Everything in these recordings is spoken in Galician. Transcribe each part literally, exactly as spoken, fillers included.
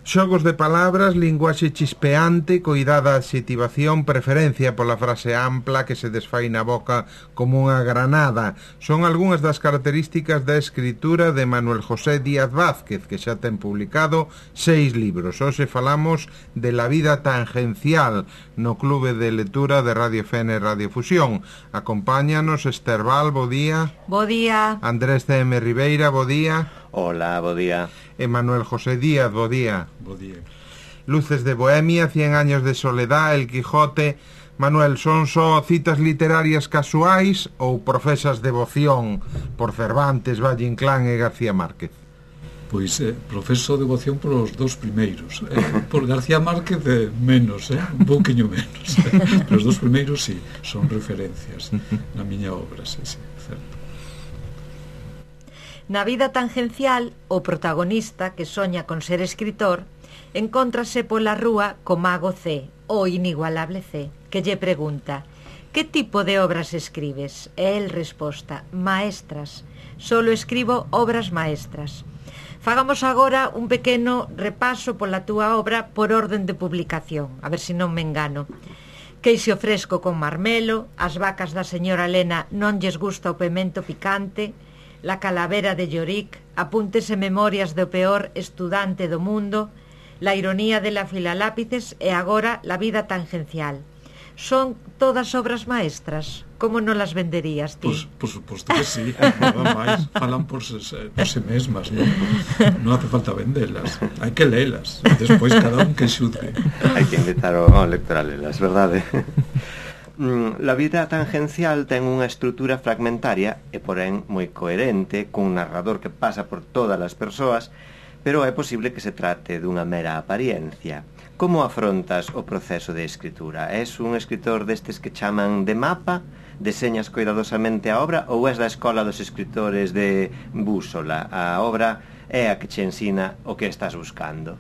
Xogos de palabras, linguaxe chispeante, coidada adxetivación, preferencia pola frase ampla que se desfai na boca como unha granada. Son algunhas das características da escritura de Manuel José Díaz Vázquez, que xa ten publicado seis libros. Hoxe falamos de La vida tangencial no Clube de Lectura de Radio F N e Radio Fusión. Acompáñanos Esther Val, bo día. Bo día. Andrés C M Ribeira, bo día. Hola, bo día. Manuel José Díaz, bo día. Bo día. Luces de Bohemia, Cien años de soledad, El Quijote. Manuel, son só citas literarias casuais ou profesas devoción por Cervantes, Valle Inclán e García Márquez? Pois eh, profeso devoción por os dous primeiros, eh, por García Márquez eh, menos, eh, un pouquiño menos, eh. Pero os dous primeiros sí, son referencias na miña obra, sí, sí, certo. Na vida tangencial, o protagonista, que soña con ser escritor, encóntrase pola rúa co mago C, o inigualable C, que lle pregunta: que tipo de obras escribes? E el resposta: maestras, solo escribo obras maestras. Fagamos agora un pequeno repaso pola túa obra por orden de publicación, a ver se non me engano. Queixe fresco con marmelo, As vacas da señora Elena non lles gusta o pemento picante, La calavera de Yorick, Apuntes e memorias do peor estudante do mundo, La ironía de la filalápices e agora La vida tangencial. Son todas obras maestras? Como non las venderías ti? Pois, por suposto que sí, nada máis, falan por se, por se mesmas, non? Non hace falta vendelas, hai que lelas, despois cada un que xudgue. Hai que invitar ao lector a lelas, verdade? La vida tangencial ten unha estrutura fragmentaria e, porén, moi coherente, cun narrador que pasa por todas as persoas, pero é posible que se trate dunha mera apariencia. Como afrontas o proceso de escritura? És un escritor destes que chaman de mapa? Deseñas cuidadosamente a obra ou és da escola dos escritores de búsola? A obra é a que che ensina o que estás buscando.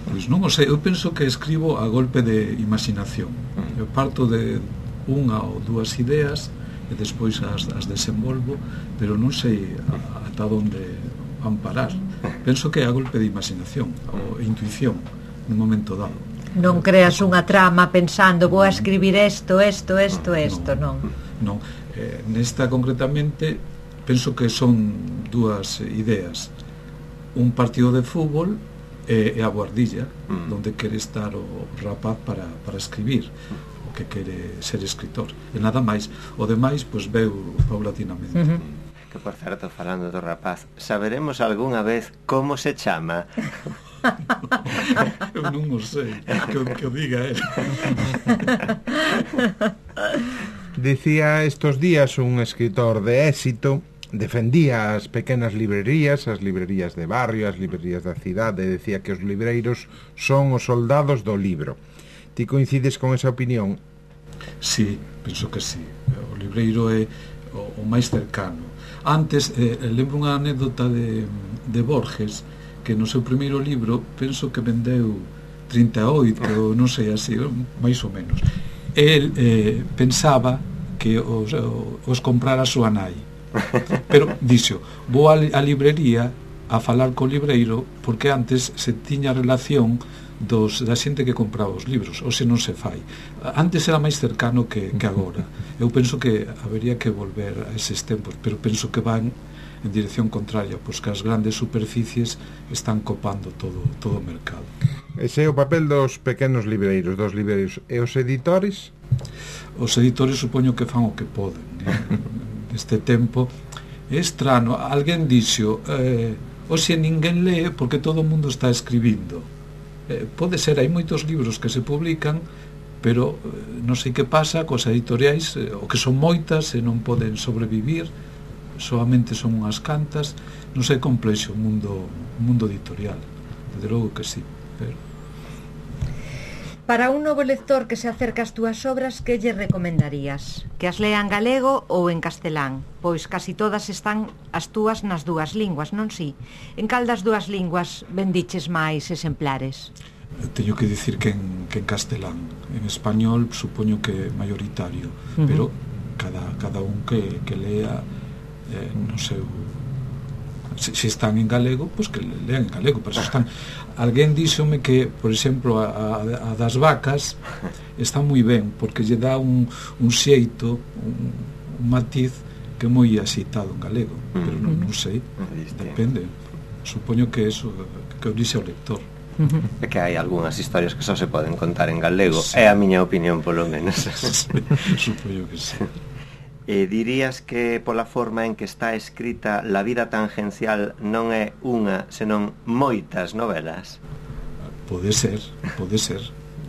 Pois non o sei, eu penso que escribo a golpe de imaginación. Eu parto de unha ou dúas ideas e despois as, as desenvolvo, pero non sei ata onde van parar. Penso que é a golpe de imaginación ou intuición nun momento dado. Non creas unha trama pensando vou a escribir isto, isto, isto, isto, non? Non, eh, nesta concretamente penso que son dúas ideas. Un partido de fútbol e a Boardilla, mm. donde quere estar o rapaz para, para escribir, o que quere ser escritor. E nada máis. O demais, pois, veu paulatinamente. Uh-huh. Que, por certo, falando do rapaz, saberemos algunha vez como se chama? Eu non o sei, que, que o diga él. Dicía estos días un escritor de éxito, defendía as pequenas librerías, as librerías de barrio, as librerías da cidade, decía que os libreiros son os soldados do libro. Ti coincides con esa opinión? Sí, penso que sí. O libreiro é o, o máis cercano. Antes, eh, lembro unha anécdota de, de Borges, que no seu primeiro libro penso que vendeu trinta e oito, non sei así, máis ou menos. El eh, pensaba que os, os comprara a súa nai. Pero dixo, vou a librería a falar co libreiro porque antes se tiña relación dos, da xente que compraba os libros, ou se non se fai. Antes era máis cercano que, que agora. Eu penso que habería que volver a eses tempos, pero penso que van en dirección contraria, pois que as grandes superficies están copando todo, todo o mercado. Ese é o papel dos pequenos libreiros, dos libreiros. E os editores? Os editores supoño que fan o que poden, eh? Este tempo é estrano. Alguén dixo eh, hoxe ninguén lee porque todo o mundo está escribindo. Eh, pode ser, hai moitos libros que se publican, pero eh, non sei que pasa cos editoriais, eh, o que son moitas e non poden sobrevivir, solamente son unhas cantas. Non sei, complexo o mundo, o mundo editorial, desde logo que sí, pero... Para un novo lector que se acerca ás túas obras, que lle recomendarías? Que as lea en galego ou en castelán? Pois casi todas están as túas nas dúas linguas, non si? En cal das dúas linguas vendiches máis exemplares? Teño que dicir que en, que en castelán. En español supoño que mayoritario, uh-huh. Pero cada, cada un que, que lea eh, no seu se, se están en galego, pois pues que lean en galego, pero se están... Alguén díxome que, por exemplo, a, a, a das vacas está moi ben, porque lle dá un, un xeito, un, un matiz que é moi axeitado en galego, pero non, non sei, depende. Supoño que eso, que o dixe o lector. É que hai algunhas historias que só se poden contar en galego, sí. É a miña opinión, polo menos. Supoño que sí. E dirías que pola forma en que está escrita La vida tangencial non é unha, senón moitas novelas? Pode ser, pode ser.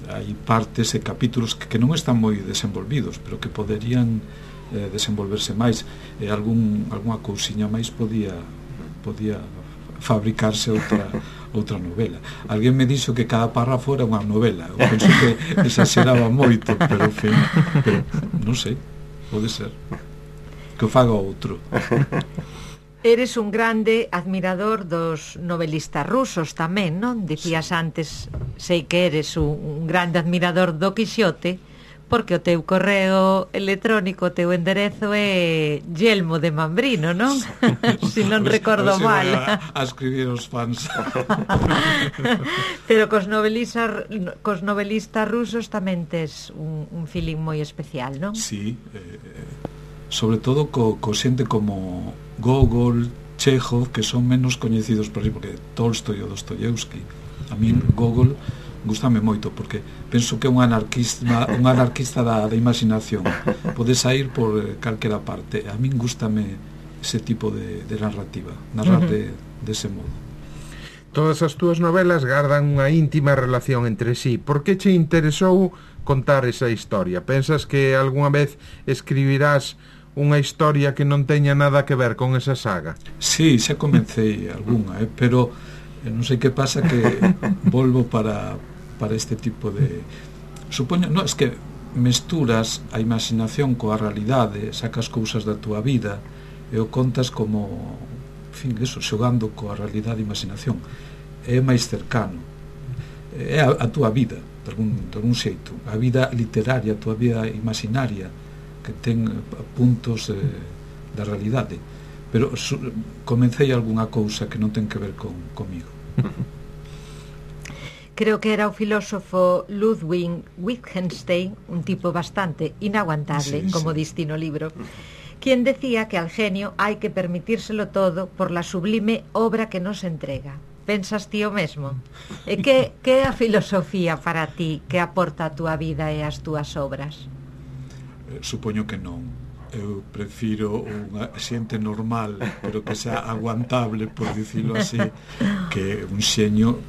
Hai partes e capítulos que, que non están moi desenvolvidos, pero que poderían eh, desenvolverse máis, e algún, alguna cousiña máis podía, podía fabricarse outra, outra novela. Alguén me dixo que cada párrafo era unha novela. Eu penso que exageraba moito, pero, en fin, pero non sei. Pode ser que o faga outro. Eres un grande admirador dos novelistas rusos tamén, non? Dicías antes, sei que eres un, un grande admirador do Quixote, porque o teu correo electrónico, o teu enderezo é Yelmo de Mambrino, non? Se non recordo mal. A, a escribir os fans. Pero cos novelistas, cos novelistas rusos tamén tes un, un feeling moi especial, non? Sí, eh, sobre todo co, co xente como Gogol, Chekhov, que son menos coñecidos por aí, porque Tolstoi ou Dostoyevsky. A min Gogol gustame moito, porque penso que é un anarquista, un anarquista da, da imaginación. Pode sair por eh, calquera parte. A min gustame ese tipo de, de narrativa, narrar uh-huh. de, de ese modo. Todas as túas novelas gardan unha íntima relación entre sí. Por que che interesou contar esa historia? Pensas que algunha vez escribirás unha historia que non teña nada que ver con esa saga? Sí, xa comecei algunha, eh, pero eh, non sei que pasa, que volvo para, para este tipo de... Supoño, non, es que mesturas a imaginación coa realidade, sacas cousas da túa vida e o contas como, en fin, eso, xogando coa realidade e imaginación. É máis cercano, é a, a túa vida, de algún, de algún xeito, a vida literaria, a túa vida imaginaria, que ten puntos eh, da realidade, pero su, comecei algunha cousa que non ten que ver con comigo. Creo que era o filósofo Ludwig Wittgenstein, un tipo bastante inaguantable, sí, como sí. Diste no libro, quien decía que al genio hai que permitírselo todo por la sublime obra que nos entrega. Pensas ti o mesmo? E que, que é a filosofía para ti que aporta a túa vida e as túas obras? Eh, supoño que non. Eu prefiro unha xente normal, pero que sea aguantable, por dicilo así, que un xeño,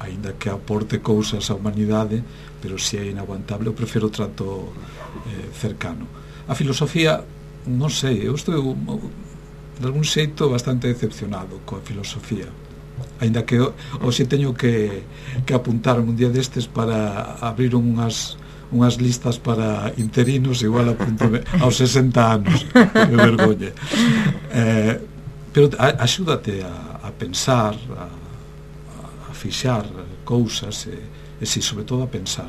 aínda que aporte cousas á humanidade, pero se é inaguantable, eu prefiro o trato eh, cercano. A filosofía, non sei, eu estou de algún xeito bastante decepcionado coa filosofía, aínda que hoxe teño que, que apuntarme un día destes para abrir unhas unhas listas para interinos, igual apuntome aos sesenta anos, me vergoñe. Eh, pero axúdate a, a pensar, a, a fixar cousas e, e si, sobre todo a pensar.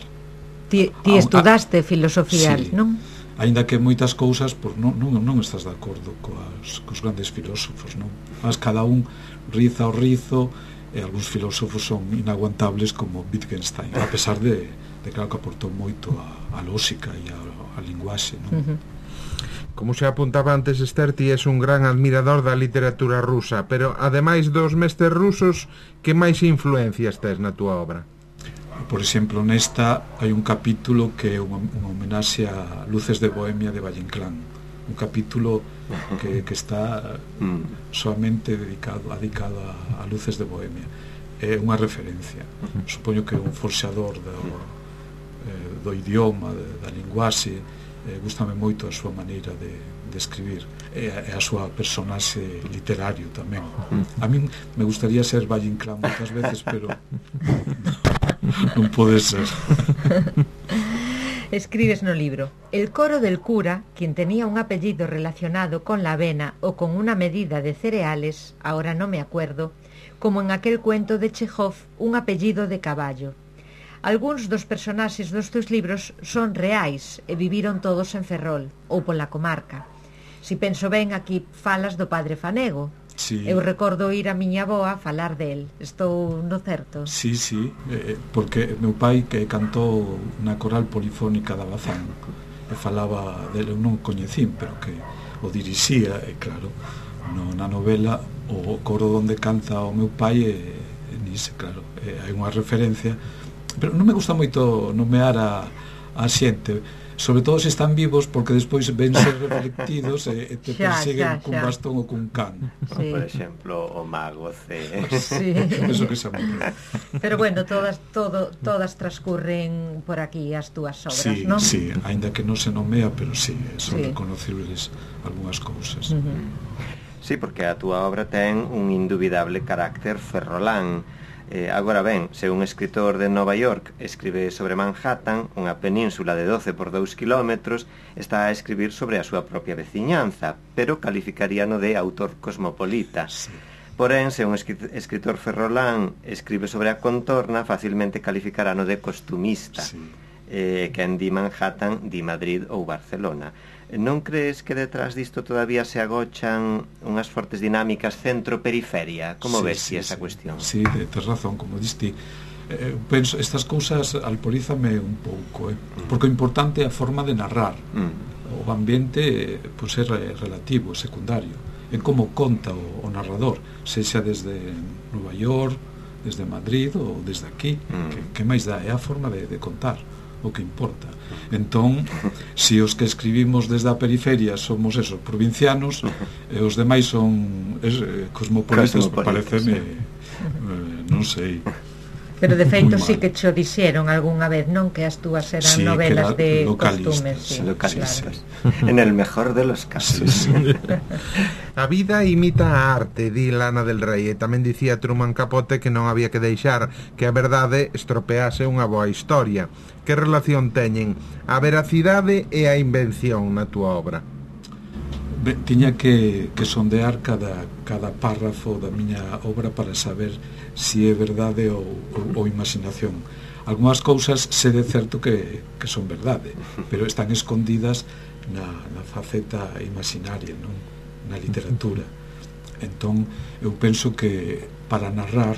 Ti, ti estudaste a, filosofía, sí, non? Aínda que moitas cousas por, non, non, non estás de acordo coas, cos grandes filósofos, non? Mas cada un riza o rizo, e algúns filósofos son inaguantables, como Wittgenstein, a pesar de, de claro, que aportou moito a, a lógica e a, a linguaxe, non? Uh-huh. Como se apuntaba antes, Esther, ti és un gran admirador da literatura rusa, pero ademais dos mestres rusos, que máis influencias tes na túa obra? Por exemplo, nesta hai un capítulo que é unha, unha homenaxe a Luces de Bohemia de Valle Inclán, un capítulo que, que está soamente dedicado, dedicado a, a Luces de Bohemia. É unha referencia, supoño que é un forxador do, eh, do idioma, de, da linguaxe. Eh, gústame moito a súa maneira de, de escribir e a, e a súa personaxe literario tamén. A min me gustaría ser Valle Inclán moitas veces, pero non pode ser. Escribes no libro: el coro del cura, quien tenía un apellido relacionado con la avena o con una medida de cereales, ahora no me acuerdo, como en aquel cuento de Chekhov, un apellido de caballo. Algúns dos personaxes dos teus libros son reais e viviron todos en Ferrol ou pola comarca. Si penso ben, aquí falas do padre Fanego, Sí. Eu recordo ir a miña avoa a falar del. Estou no certo? Sí, sí, eh, porque meu pai que cantou na coral polifónica da Bazán e falaba dele, eu non coñecín, pero que o dirixía, e claro, no, na novela o coro onde canta o meu pai e, e nixe, claro, e hai unha referencia, pero non me gusta moito nomear a, a xente, sobre todo se están vivos, porque despois ven ser reflectidos e, e te xa, persiguen xa, cun xa. bastón ou cun can. Sí. Por exemplo, o mago C. Sí. Eso que se morre. Pero bueno, todas todo, todas transcurren por aquí as túas obras, Sí, non? sí, aínda que non se nomea, pero sí, son Sí. reconocibles algunhas cousas. Uh-huh. Sí, porque a túa obra ten un indubidable carácter ferrolán. Eh, agora ben, se un escritor de Nova York escribe sobre Manhattan, unha península de doce por dous kilómetros, está a escribir sobre a súa propia veciñanza, pero calificaríano de autor cosmopolita. Sí. Porén, se un escritor ferrolán escribe sobre a contorna, facilmente calificarano de costumista. Sí. Eh, quen di Manhattan, di Madrid ou Barcelona. Non crees que detrás disto todavía se agochan unhas fortes dinámicas centro-periferia? Como Sí, ves sí, si esa sí. cuestión? Sí, tes razón, como diste. Eh, penso, estas cousas alporízame un pouco, eh? Porque o importante é a forma de narrar. Mm. O ambiente, pois, é relativo, é secundario. En como conta o, o narrador, sexa desde Nova York, desde Madrid ou desde aquí. Mm. Que, que máis dá? É a forma de, de contar o que importa. Entón, se os que escribimos desde a periferia somos esos provincianos e os demais son es, eh, cosmopolitas, Cosmopolitas, pareceme, sí. eh, non sei. Pero de feito Moi mal. sí que cho dixeron algunha vez, non? Que as túas eran Sí, que novelas eran de localistas, costumes, sí, Localistas. claro. En el mejor de los casos. Sí, sí. A vida imita a arte, di Lana del Rey, e tamén dicía Truman Capote que non había que deixar que a verdade estropease unha boa historia. Que relación teñen a veracidade e a invención na túa obra? Be, tiña que, que sondear cada, cada párrafo da miña obra para saber se é verdade ou, ou, ou imaginación. Algúnas cousas sé de certo que, que son verdade, pero están escondidas na, na faceta imaginaria, non? Na literatura. Entón, eu penso que para narrar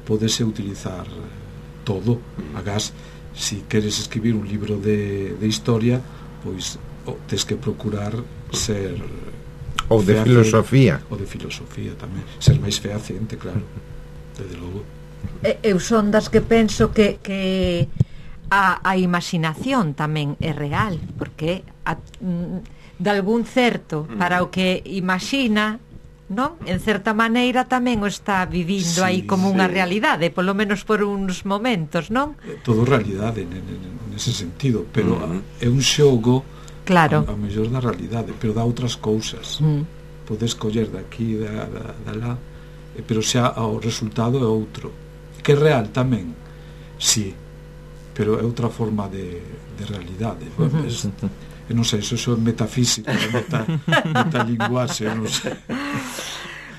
podese utilizar todo. Agás, si queres escribir un libro de, de historia, pois oh, tes que procurar ser Ou de fehaciente, filosofía. ou de filosofía tamén, ser máis fehaciente, claro, desde logo. E, eu son das que penso que, que a, a imaginación tamén é real, porque a, mm, de algún certo para o que imagina, non? En certa maneira tamén o está vivindo Sí, aí como unha sí. realidade, polo menos por uns momentos, non? Todo realidade nese sentido, pero Mm. é un xogo Claro. a, a mellor da realidade, pero dá outras cousas. Mm. Podes coller daqui, da, da, da lá, eh, pero xa o resultado é outro. Que é real tamén, sí, pero é outra forma de, de realidade. Uh-huh. Es, eu non sei, eso é metafísico, meta, metalinguaxe, non sei.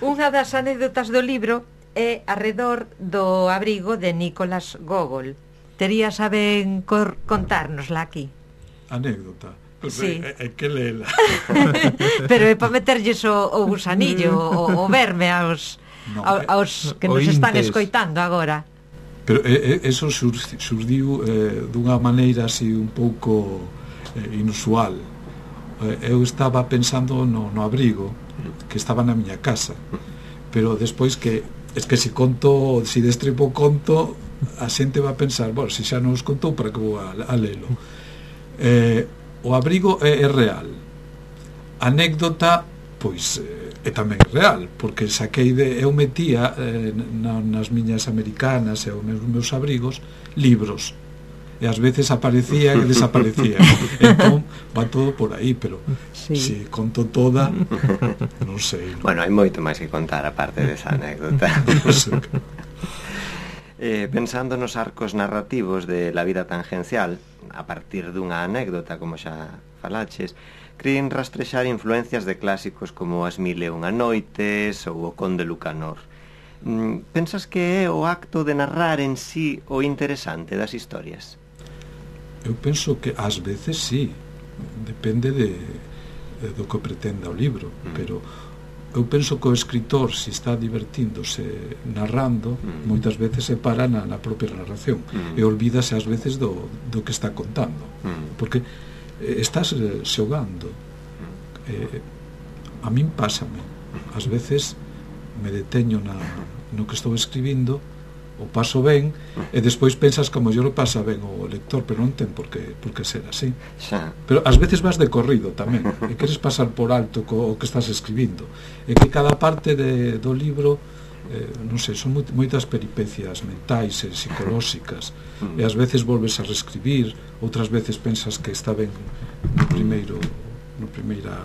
Unha das anécdotas do libro é arredor do abrigo de Nicolás Gogol. Terías a ben cor contárnosla aquí. Anécdota. Pues Sí. é, é que lela. Pero é para meterlles o, o gusanillo, o, o verme aos, No, ao- aos que nos están ointes. escoitando agora. Pero eh, eso sur, surdiu eh, dunha maneira así un pouco eh, inusual. Eh, eu estaba pensando no, no abrigo que estaba na miña casa, pero despois que es que se conto, se destripo conto, a xente va a pensar, bueno, se xa non os contou, para que vou a, a lelo. Eh, o abrigo é, é real. Anécdota, pois eh, é tamén real, porque saquei de eu metía eh, na, nas miñas americanas e os meus, meus abrigos libros, e ás veces aparecían e desaparecían. Entón va todo por aí, pero Sí. se conto toda, non sei, non? Bueno, hai moito máis que contar aparte desa anécdota. Non sei. Eh, pensando nos arcos narrativos de La vida tangencial, a partir dunha anécdota, como xa falaches, cren rastrexar influencias de clásicos como As mil e unha noites ou O conde Lucanor. Mm, pensas que é o acto de narrar en sí o interesante das historias? Eu penso que ás veces sí, depende de, de do que pretenda o libro, Mm. pero eu penso que o escritor, se está divertíndose narrando, mm. moitas veces se para na, na propia narración mm. e olvídase ás veces do, do que está contando, mm. porque eh, estás eh, xogando. eh, a min pásame ás veces me deteño na, no que estou escribindo, o paso ben, e despois pensas que a mellor o pasa ben o lector, pero non ten por que, por que ser así. Xa. Pero ás veces vas de corrido tamén, e queres pasar por alto co, o que estás escribindo, e que cada parte de, do libro, eh, non sei, son moitas peripecias mentais e psicolóxicas, e ás veces volves a reescribir, outras veces pensas que está ben no primeiro, no primeira,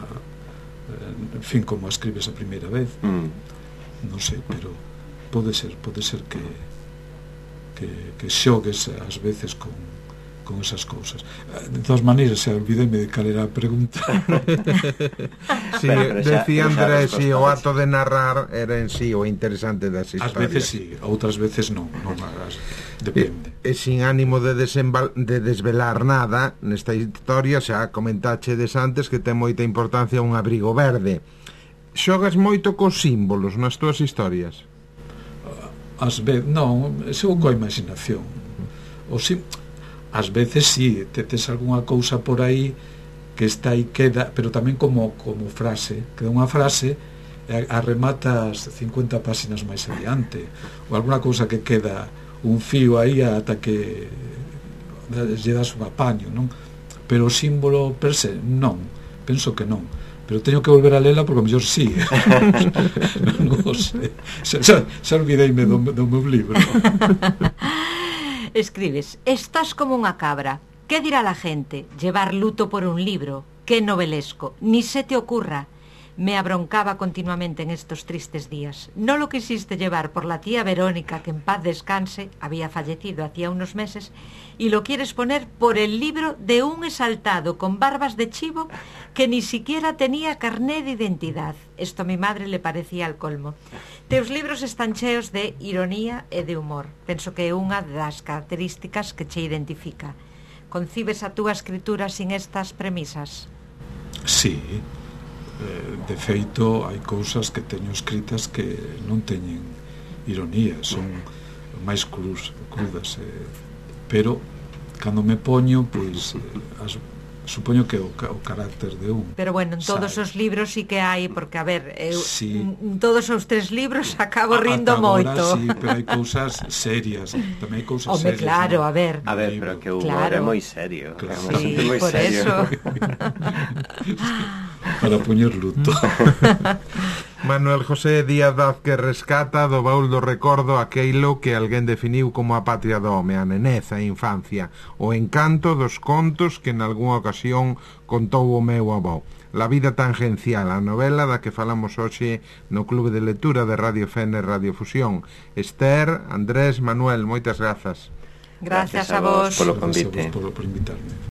eh, en fin, como a escribes a primeira vez, non sei, pero pode ser, pode ser que que, que xogues ás veces con, con esas cousas. De todas maneiras, se olvideme de cal era a pregunta. Si, sí, decía Andrés, si o ato de narrar era en sí o interesante das historias. Ás veces sí, outras veces non, non as, depende. E, e sin ánimo de, de desvelar nada, nesta historia xa comentachedes antes que ten moita importancia un abrigo verde. Xogas moito cos símbolos nas túas historias? Ás veces, non, xogo coa imaginación. O si, ás veces sí, te tes algunha cousa por aí que está aí, queda, pero tamén como, como frase, queda unha frase e a rematas cincuenta páxinas máis adiante, ou alguna cousa que queda un fío aí ata que lle das un apaño, non? Pero o símbolo per se, non, penso que non, pero teño que volver a lela porque a mellor sí. Non o sei, xa, xa, xa olvideime do, do meu libro. Escribes: estás como unha cabra. ¿Qué dirá la gente? Llevar luto por un libro. Qué novelesco. Ni se te ocurra. Me abroncaba continuamente en estos tristes días. No lo quisiste llevar por la tía Verónica, que en paz descanse, había fallecido hacía unos meses, y lo quieres poner por el libro de un exaltado con barbas de chivo que ni siquiera tenía carné de identidad. Esto a mi madre le parecía al colmo. Teus libros están cheos de ironía e de humor. Penso que é unha das características que che identifica. Concibes a túa escritura sin estas premisas? Sí. De feito, hai cousas que teño escritas que non teñen ironía, son máis cruz, crudas, eh, pero cando me poño, pois as, supoño que o, o carácter de un. Pero bueno, en todos sabe. Os libros sí que hai, porque a ver, eu, sí. en todos os tres libros acabo a, rindo agora, moito. Sí, pero hai cousas serias, tamén hai cousas Home, serias. claro, ¿no? a ver. A ver, pero que o humor claro. é moi serio. Claro. Sí, moi por serio. eso. Para poñer luto. Manuel José Díaz Vázquez rescata do baúl do recordo aqueilo que alguén definiu como a patria do home, a nenez, a infancia, o encanto dos contos que en algunha ocasión contou o meu avó. La vida tangencial, a novela da que falamos hoxe no Clube de Lectura de Radio Fene Radio Fusión. Esther, Andrés, Manuel, moitas grazas. Gracias, Gracias a vos a vos. polo convite. Gracias a vos por, por invitarme.